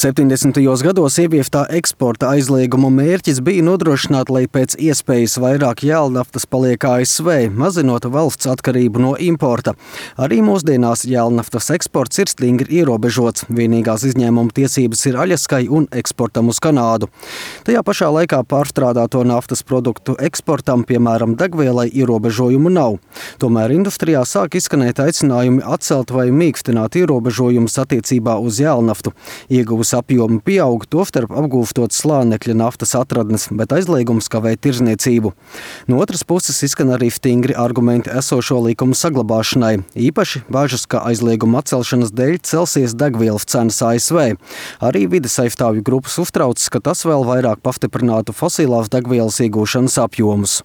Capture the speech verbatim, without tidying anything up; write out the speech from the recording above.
septiņdesmitajos gados ievieftā eksporta aizlieguma mērķis bija nodrošināt, lai pēc iespējas vairāk jēlnaftas paliek A S V, mazinot valsts atkarību no importa. Arī mūsdienās jēlnaftas eksports ir stingri ierobežots. Vienīgās izņēmuma tiesības ir aļaskai un eksportam uz Kanādu. Tajā pašā laikā pārstrādāto naftas produktu eksportam, piemēram, degvielai, ierobežojumu nav. Tomēr industrijā sāk izskanēt aicinājumi atcelt vai mīkstināt ierobežojumus attiecībā uz jēlnaftu. Ieguvusi apjomi pieaug, tostarp apgūstot slānekļa naftas atradnes, bet aizliegums kavē tirzniecību. No otras puses izskan arī stingri argumenti esošo likumu saglabāšanai. Īpaši bažas, ka aizlieguma atcelšanas dēļ celsies degvielas cenas A S V. Arī vides aizstāvju grupas uztraucas, ka tas vēl vairāk pastiprinātu fosilās degvielas iegūšanas apjomus.